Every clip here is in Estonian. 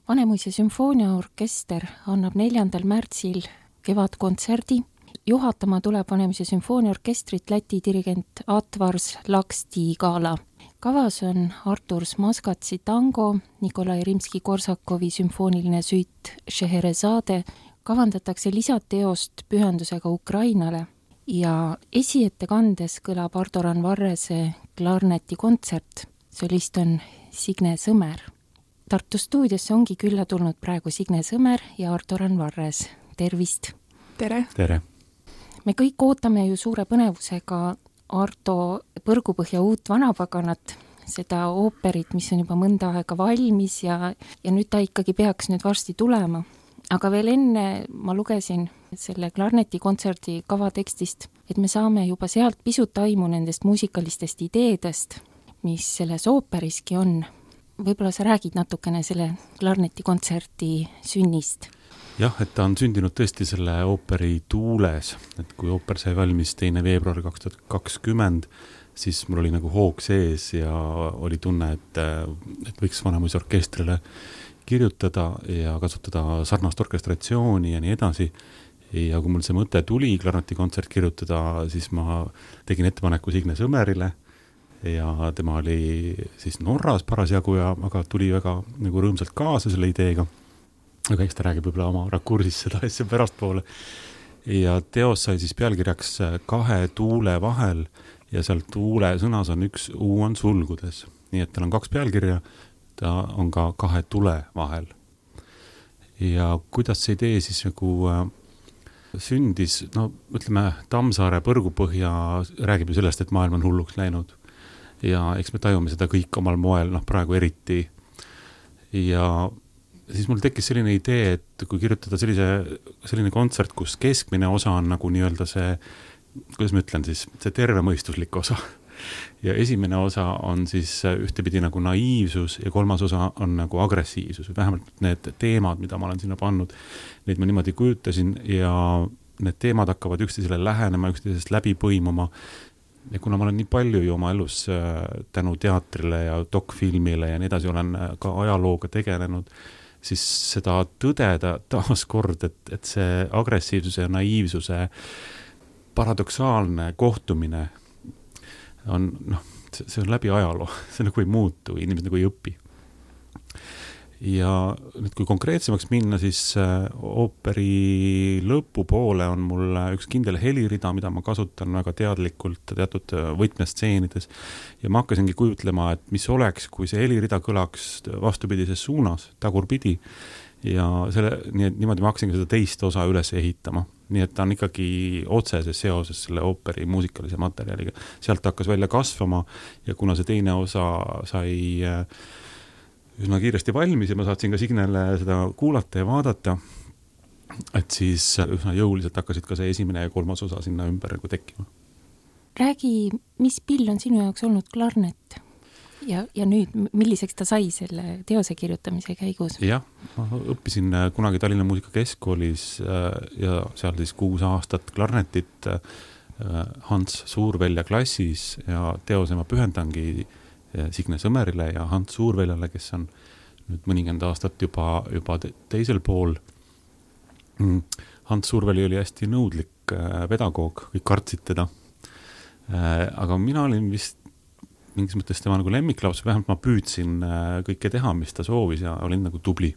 Vanemuise sümfooniaorkester annab 4. märtsil kevadkontserdi. Juhatama tuleb Vanemuise sümfooniaorkestrit Läti dirigent Atvars Laksti-Gala. Kavas on Artur Smaskatsi tango, Nikolai Rimski-Korsakovi sümfooniline süit Scheherazade, kavandatakse lisateost pühendusega Ukrainale ja esiettekandes kõlab Ardoran Varrese klarnetikontsert. Solist on Signe Sõmer. Tartu stuudiosse ongi külla tulnud praegu Signe Sõmer ja Ardoran Varres. Tervist! Tere! Tere! Me kõik ootame ju suure põnevusega Arto Põrgupõhja uut vanapaganat, seda ooperit, mis on juba mõnda aega valmis ja nüüd ta ikkagi peaks nüüd varsti tulema. Aga veel enne ma lugesin selle klarnetikontserdi kavatekstist, et me saame juba sealt pisut aimu nendest muusikalistest ideedest, mis selles ooperiski on. Võib-olla sa räägid natukene selle klarnetikontserdi sünnist? Jah, et ta on sündinud tõesti selle ooperi tuules, et kui ooper sai valmis 2. veebruar 2020, siis mul oli nagu hoog sees ja oli tunne, et võiks Vanemuise orkestrile kirjutada ja kasutada sarnast orkestratsiooni ja nii edasi. Ja kui mul see mõte tuli klarnetikontsert kirjutada, siis ma tegin ettepaneku Signe Sõmerile ja tema oli siis Norras parasjagu ja aga tuli väga nagu rõõmsalt kaasa selle ideega. Aga eks ta räägib võib-olla oma rakursis seda asja pärastpoole. Ja teos sai siis pealkirjaks 2 tuule vahel ja seal tuule sõnas on 1 U on sulgudes. Nii et tal on 2 pealkirja, ta on ka 2 tule vahel. Ja kuidas see idee siis nagu sündis, no ütleme, Tammsaare Põrgupõhja räägib ju sellest, et maailm on hulluks läinud. Ja eks me tajume seda kõik omal moel, praegu eriti. Ja siis mul tekkis selline idee, et kui kirjutada selline kontsert, kus keskmine osa on nagu nii-öelda see, kuidas ma ütlen siis, see tervemõistuslik osa. Ja esimene osa on siis ühtepidi nagu naiivsus ja 3. osa on nagu agressiivsus. Vähemalt need teemad, mida ma olen sinna pannud, neid ma niimoodi kujutasin ja need teemad hakkavad üksteisele lähenema, üksteisest läbi põimuma. Ja kuna ma olen nii palju ju oma elus tänu teatrile ja dokfilmile ja nii edasi olen ka ajalooga tegelenud, siis seda tõdeda taas kord, et see agressiivsuse ja naiivsuse paradoksaalne kohtumine on, see on läbi ajaloo, see nagu ei muutu, inimesed nagu ei õpi. Ja nüüd kui konkreetsemaks minna, siis ooperi lõpupoole on mul üks kindel helirida, mida ma kasutan väga teadlikult teatud võtmestseenides. Ja ma hakkasingi kujutlema, et mis oleks, kui see helirida kõlaks vastupidises suunas, tagurpidi. Ja niimoodi ma hakkasingi seda teist osa üles ehitama. Nii et ta on ikkagi otseses seoses selle ooperi muusikalise materjaliga. Sealt hakkas välja kasvama ja kuna see teine osa sai üsna kiiresti valmis ja ma saatsin ka Signele seda kuulata ja vaadata, et siis üsna jõuliselt hakkasid ka see esimene ja 3. osa sinna ümber tekkima. Räägi, mis pill on sinu jaoks olnud klarnet? Ja nüüd, milliseks ta sai selle teose kirjutamise käigus? Jah, ma õppisin kunagi Tallinna Muusikakeskkoolis ja seal siis 6 aastat klarnetit Hans Suurvälja klassis ja teose ma pühendangi Signe Sõmerile ja Hans Suurväljale, kes on nüüd mõnikümmend aastat juba teisel pool. Hans Suurväli oli hästi nõudlik pedagoog, kõik kartsid teda. Aga mina olin vist mingis mõttes tema nagu lemmiklaps, vähemalt ma püüdsin kõike teha, mis ta soovis ja olin nagu tubli.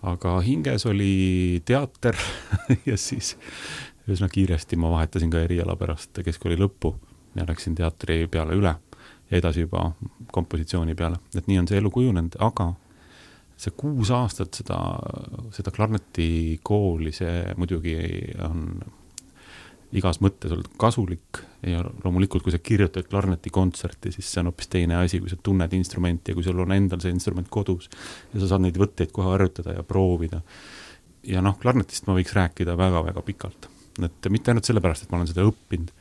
Aga hinges oli teater ja siis üsna kiiresti ma vahetasin ka eriala pärast keskkooli lõppu ja läksin teatri peale üle ja edasi juba kompositsiooni peale. Et nii on see elu kujunenud, aga see 6 aastat seda klarnetikooli, see muidugi on igas mõttes olnud kasulik ja loomulikult, kui sa kirjutad klarnetikontserti, siis see on hoopis teine asi, kui sa tunned instrumenti ja kui sul on endal see instrument kodus ja sa saad neid võtteid kohe harjutada ja proovida. Ja klarnetist ma võiks rääkida väga-väga pikalt. Et mitte ainult sellepärast, et ma olen seda õppinud,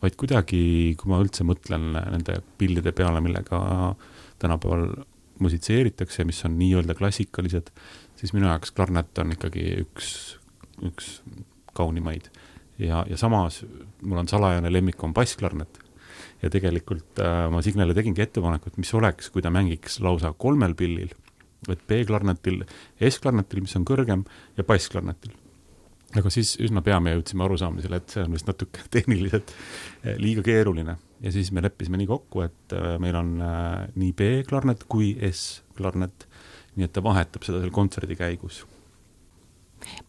vaid kuidagi, kui ma üldse mõtlen nende pillide peale, millega tänapäeval musitseeritakse, mis on nii-öelda klassikalised, siis minu jaoks klarnet on ikkagi üks kaunimaid. Ja samas mul on salajane lemmik on bassklarnet. Ja tegelikult ma Signele tegingi ettepanekut, mis oleks, kui ta mängiks lausa 3 pillil et B-klarnetil, S-klarnetil, mis on kõrgem, ja bassklarnetil. Aga siis üsna pea me jõudsime arusaamisele, et see on vist natuke tehniliselt liiga keeruline. Ja siis me leppisime nii kokku, et meil on nii B-klarnet kui S-klarnet, nii et ta vahetab seda seal kontserdi käigus.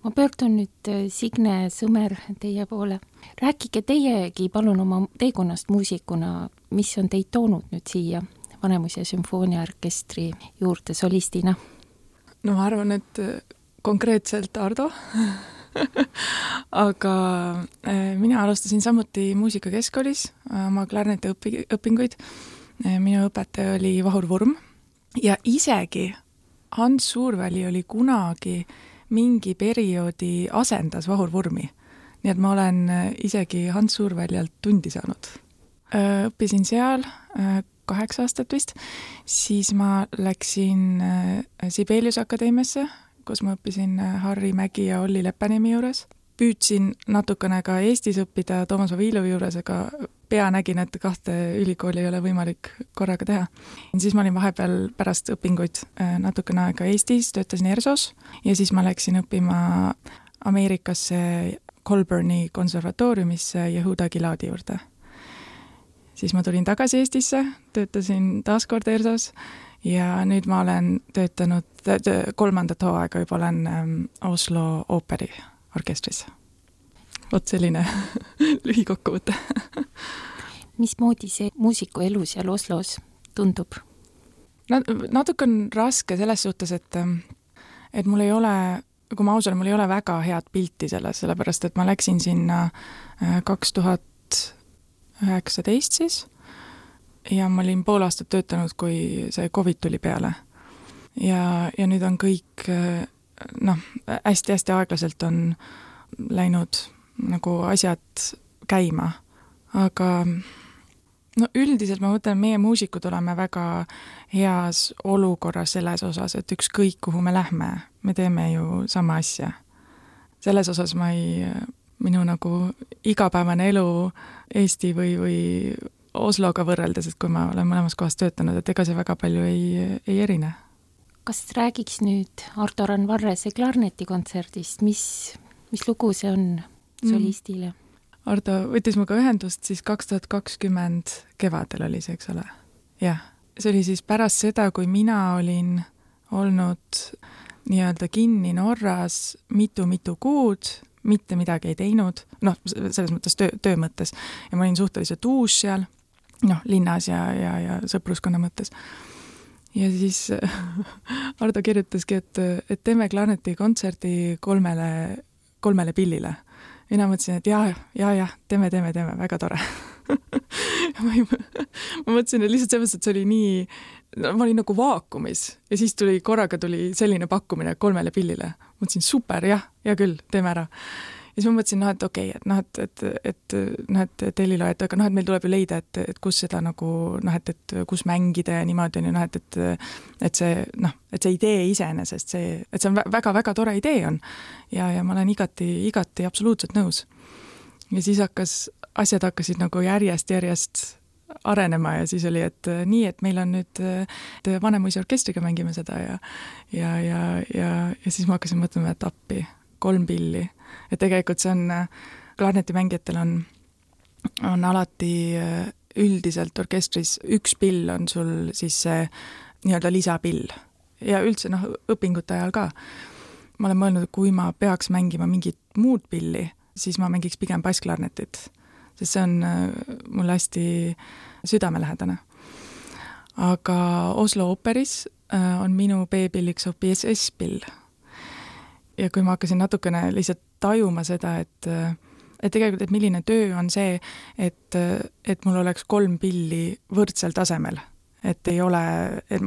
Ma pöördun nüüd Signe Sõmer teie poole. Rääkige teiegi palun oma teekonnast muusikuna, mis on teid toonud nüüd siia Vanemuise sümfooniaorkestri juurde solistina? No ma arvan, et konkreetselt Ardo. Aga mina alustasin samuti muusikakeskkoolis oma klarneti õpinguid. Minu õpetaja oli Vahur Vurm ja isegi Hans Suurväli oli kunagi mingi perioodi asendas Vahur Vurmi. Nii et ma olen isegi Hans Suurväljalt tundi saanud. Õppisin seal 8 aastat vist, siis ma läksin Sibelius Akadeemiasse, kus ma õppisin Harri Mägi ja Olli Leppanimi juures. Püüdsin natukene ka Eestis õppida Toomas Vavilovi juures, aga pea nägin, et 2 ülikooli ei ole võimalik korraga teha. Siis ma olin vahepeal pärast õpinguid natukene aega Eestis, töötasin ERSOs ja siis ma läksin õppima Ameerikasse Colburni konservatooriumisse Yehuda Giladi juurde. Siis ma tulin tagasi Eestisse, töötasin taaskord ERSOs ja nüüd ma olen töötanud 3. hooaega juba olen Oslo ooperi orkestris. Vot selline lühikokkuvõte. Mismoodi see muusiku elu seal Oslos tundub? Natuke on raske selles suhtes, et mul ei ole, kui ma ausalt, mul ei ole väga head pilti selles, sellepärast et ma läksin sinna 2019 siis ja ma olin pool aastat töötanud, kui see COVID tuli peale. Ja nüüd on kõik hästi-hästi aeglaselt on läinud nagu asjad käima. Aga üldiselt ma mõtlen, meie muusikud oleme väga heas olukorras selles osas, et ükskõik kuhu me lähme, me teeme ju sama asja. Selles osas minu nagu igapäevane elu Eesti või Osloga võrreldes, et kui ma olen mõlemas kohas töötanud, et ega see väga palju ei erine. Kas räägiks nüüd Ardo Randvarrese klarnetikontserdist, mis lugu see on solistile? Ardo võttis muga ühendust siis 2020 kevadel oli see, eks ole? Jah, see oli siis pärast seda, kui mina olin olnud nii-öelda kinni Norras mitu kuud, mitte midagi ei teinud, selles mõttes töö mõttes. Ja ma olin suhteliselt uus seal, linnas ja sõpruskonna mõttes. Ja siis Ardo kirjutaski, et teeme klarneti kontserdi 3 pillile. Mina mõtlesin, et jah, teeme, väga tore. ma mõtlesin, et lihtsalt selles, et see oli nii, ma olin nagu vaakumis ja siis korraga tuli selline pakkumine 3 pillile. Mõtlesin, super, ja küll, teeme ära. Ja siis ma mõtlesin, et okei, et Telilo, et meil tuleb ju leida, et kus seda nagu, et kus mängida ja niimoodi on ju, et see idee iseenesest, et see on väga-väga tore idee on. Ja ma olen igati absoluutselt nõus. Ja siis asjad hakkasid nagu järjest arenema ja siis oli, et nii, et meil on nüüd Vanemuise orkestriga mängime seda ja siis ma hakkasin mõtlema, et appi 3 pilli. Et tegelikult see on, klarnetimängijatel on alati üldiselt orkestris 1 pill on sul siis see nii-öelda lisapill ja üldse õpingute ajal ka. Ma olen mõelnud, et kui ma peaks mängima mingit muud pilli, siis ma mängiks pigem bassklarnetit, sest see on mul hästi südamelähedane. Aga Oslo ooperis on minu B-pilliks hoopis S-pill. Ja kui ma hakkasin natukene lihtsalt tajuma seda, et tegelikult, et milline töö on see, et mul oleks 3 pilli võrdsel tasemel. Et ei ole, et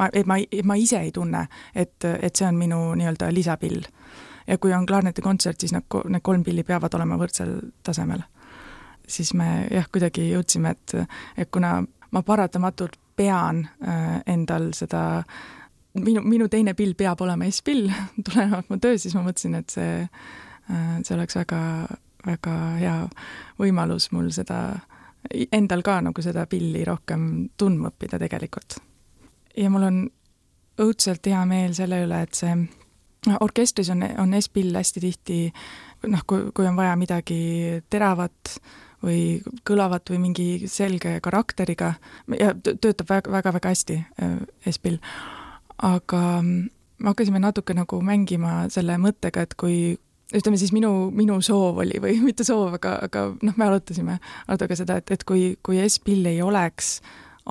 ma ise ei tunne, et see on minu nii-öelda lisapill. Ja kui on klarnetikontsert, siis need 3 pilli peavad olema võrdsel tasemel. Siis me kuidagi jõudsime, et kuna ma paratamatult pean endal seda minu teine pill peab olema S-pill, tulenevalt mu töö, siis ma mõtlesin, et see oleks väga, väga hea võimalus mul seda endal ka nagu seda pilli rohkem tundma õppida tegelikult. Ja mul on õudselt hea meel selle üle, et see orkestris on S-pill hästi tihti, kui on vaja midagi teravat või kõlavat või mingi selge karakteriga ja töötab väga hästi S-pill. Aga me hakkasime natuke nagu mängima selle mõttega, et kui ütleme siis minu soov oli või mitte soov, aga me arutasime Ardoga seda, et kui S-pill ei oleks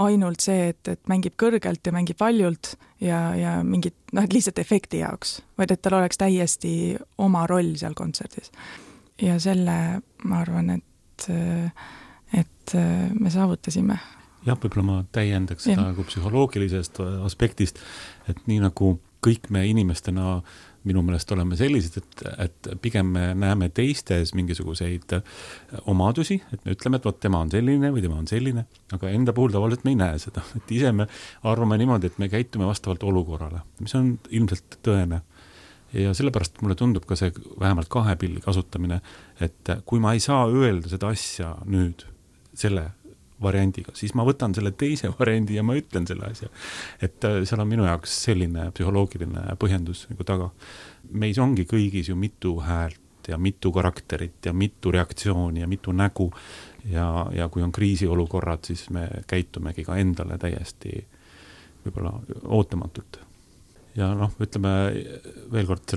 ainult see, et mängib kõrgelt ja mängib valjult ja mingit, et lihtsalt efekti jaoks, vaid et tal oleks täiesti oma roll seal kontserdis. Ja selle ma arvan, et me saavutasime. Jah, võib-olla ma täiendaks seda nagu psühholoogilisest aspektist, et nii nagu kõik me inimestena minu meelest oleme sellised, et pigem me näeme teistes mingisuguseid omadusi, et me ütleme, et vot tema on selline või tema on selline, aga enda puhul tavaliselt me ei näe seda. Et ise me arvame niimoodi, et me käitume vastavalt olukorrale, mis on ilmselt tõene. Ja sellepärast mulle tundub ka see vähemalt 2 pilli kasutamine, et kui ma ei saa öelda seda asja nüüd selle variandiga, siis ma võtan selle teise variandi ja ma ütlen selle asja. Et seal on minu jaoks selline psühholoogiline põhjendus nagu taga. Meis ongi kõigis ju mitu häält ja mitu karakterit ja mitu reaktsiooni ja mitu nägu ja kui on kriisiolukorrad, siis me käitumegi ka endale täiesti võib-olla ootamatult. Ja ütleme veel kord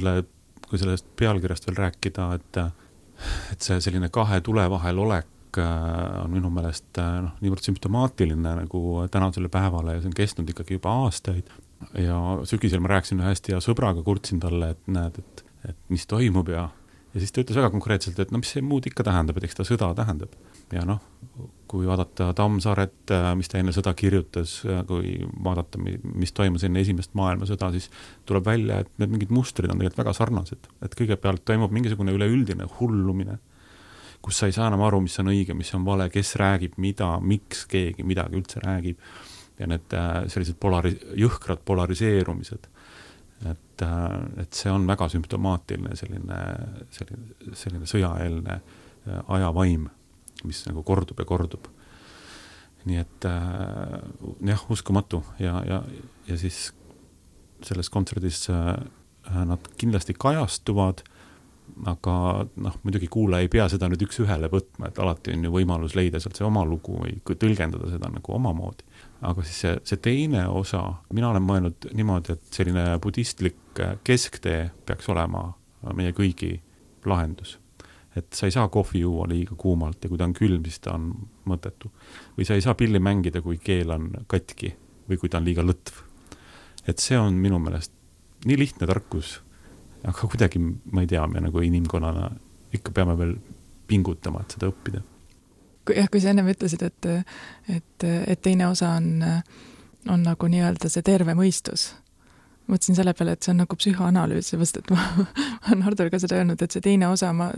kui sellest pealkirjast veel rääkida, et see selline 2 tule vahel olek on minu meelest niivõrd sümptomaatiline nagu tänasele päevale ja see on kestnud ikkagi juba aastaid ja sügisel ma rääkisin hästi ja sõbraga kurtsin talle, et näed, et mis toimub ja siis ta ütles väga konkreetselt, et mis see muud ikka tähendab, et eks ta sõda tähendab. Ja kui vaadata Tammsaaret, mis ta enne sõda kirjutas, kui vaadata, mis toimus enne esimest maailmasõda, siis tuleb välja, et need mingid mustrid on tegelikult väga sarnased. Et kõigepealt toimub mingisugune üleüldine hullumine, kus sa ei saa enam aru, mis on õige, mis on vale, kes räägib mida, miks keegi midagi üldse räägib. Ja need sellised jõhkrad polariseerumised. Et see on väga sümptomaatiline selline sõjaeelne ajavaim, mis nagu kordub ja kordub. Nii et uskumatu ja siis selles kontserdis nad kindlasti kajastuvad, aga muidugi kuulaja ei pea seda nüüd üks ühele võtma, et alati on ju võimalus leida sealt see oma lugu või tõlgendada seda nagu omamoodi. Aga siis see teine osa, mina olen mõelnud niimoodi, et selline budistlik kesktee peaks olema meie kõigi lahendus. Et sa ei saa kohvi juua liiga kuumalt ja kui ta on külm, siis ta on mõttetu. Või sa ei saa pilli mängida, kui keel on katki või kui ta on liiga lõtv. Et see on minu meelest nii lihtne tarkus, aga kuidagi, ma ei tea, me nagu inimkonnana ikka peame veel pingutama, et seda õppida. Kui sa ennem ütlesid, et teine osa on nagu nii-öelda see terve mõistus. Mõtlesin selle peale, et see on nagu psühhoanalüüs, seepärast, et ma olen Hardol ka seda öelnud, et see teine osa, ma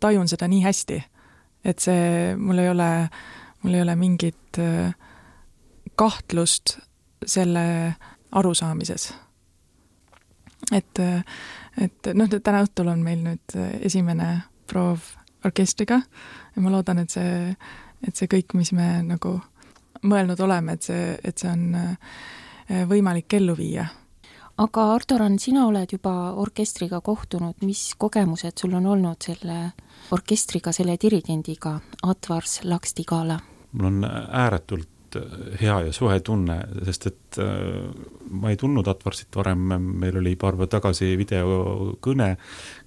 tajun seda nii hästi, et see, mul ei ole mingit kahtlust selle arusaamises. Et täna õhtul on meil nüüd esimene proov orkestriga ja ma loodan, et see kõik, mis me nagu mõelnud oleme, et see on võimalik ellu viia. Aga Ardoran, sina oled juba orkestriga kohtunud, mis kogemused sul on olnud selle orkestriga, selle dirigendiga Atvars Lakstigala? Mul on ääretult hea ja soe tunne, sest et ma ei tundnud Atvarsit varem, meil oli paar päeva tagasi videokõne,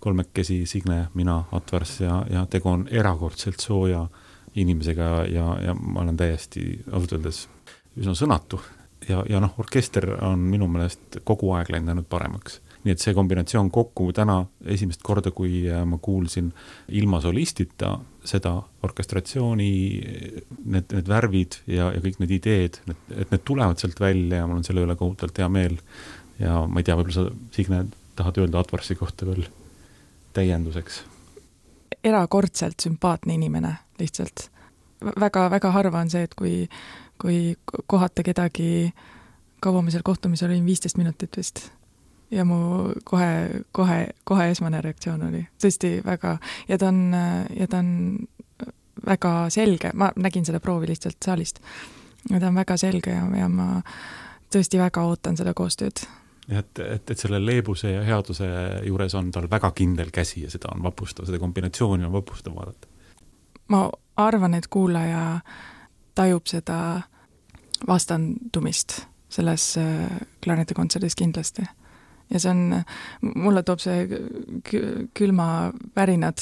3 Signe, mina, Atvars ja tegu on erakordselt sooja inimesega ja ma olen täiesti ausalt öeldes üsna sõnatu ja orkester on minu meelest kogu aeg läinud paremaks. Nii et see kombinatsioon kokku täna esimest korda, kui ma kuulsin ilma solistita seda orkestratsiooni, need värvid ja kõik need ideed, et need tulevad sealt välja ja mul on selle üle kohutavalt hea meel. Ja ma ei tea, võib-olla sa, Signe, tahad öelda Atvarsi kohta veel täienduseks? Erakordselt sümpaatne inimene lihtsalt. Väga harva on see, et kui kohata kedagi, kaua me seal kohtumisel olin 15 minutit vist. Ja mu kohe esmane reaktsioon oli tõesti väga, ja ta on väga selge, ma nägin seda proovi lihtsalt saalist, ja ta on väga selge ja tõesti väga ootan seda koostööd. Et selle leebuse ja headuse juures on tal väga kindel käsi ja seda on vapustav, seda kombinatsiooni on vapustav vaadata. Ma arvan, et kuulaja tajub seda vastandumist selles klarnetikontserdis kindlasti. Ja see on, mulle toob see külma värinad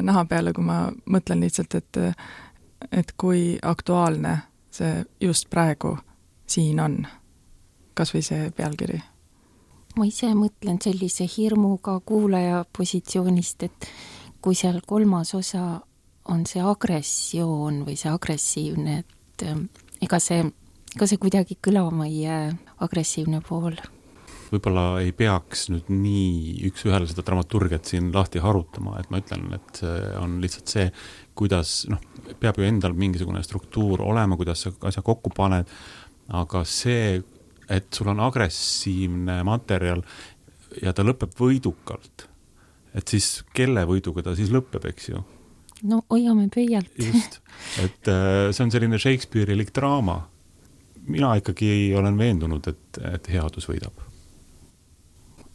naha peale, kui ma mõtlen lihtsalt, et kui aktuaalne see just praegu siin on, kas või see pealkiri. Ma ise mõtlen sellise hirmuga kuulaja positsioonist, et kui seal kolmas osa on see agressioon või see agressiivne, et ega see kuidagi kõlama ei jää, agressiivne pool. Võib-olla ei peaks nüüd nii üks ühele seda dramaturgiat siin lahti harutama, et ma ütlen, et see on lihtsalt see, kuidas, peab ju endal mingisugune struktuur olema, kuidas sa asja kokku paned, aga see, et sul on agressiivne materjal ja ta lõpeb võidukalt, et siis kelle võiduga ta siis lõpeb, eks ju? No hoiame pöialt. Just, et see on selline Shakespeare'ilik draama. Mina ikkagi olen veendunud, et headus võidab.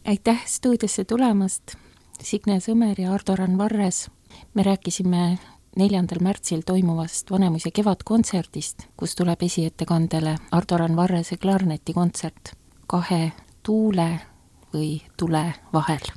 Aitäh stuudiosse tulemast, Signe Sõmer ja Ardo Randvarres. Me rääkisime 4. märtsil toimuvast Vanemuise kevadkontserdist, kus tuleb esiettekandele Ardo Randvarrese klarnetikontsert 2 tuule või tule vahel.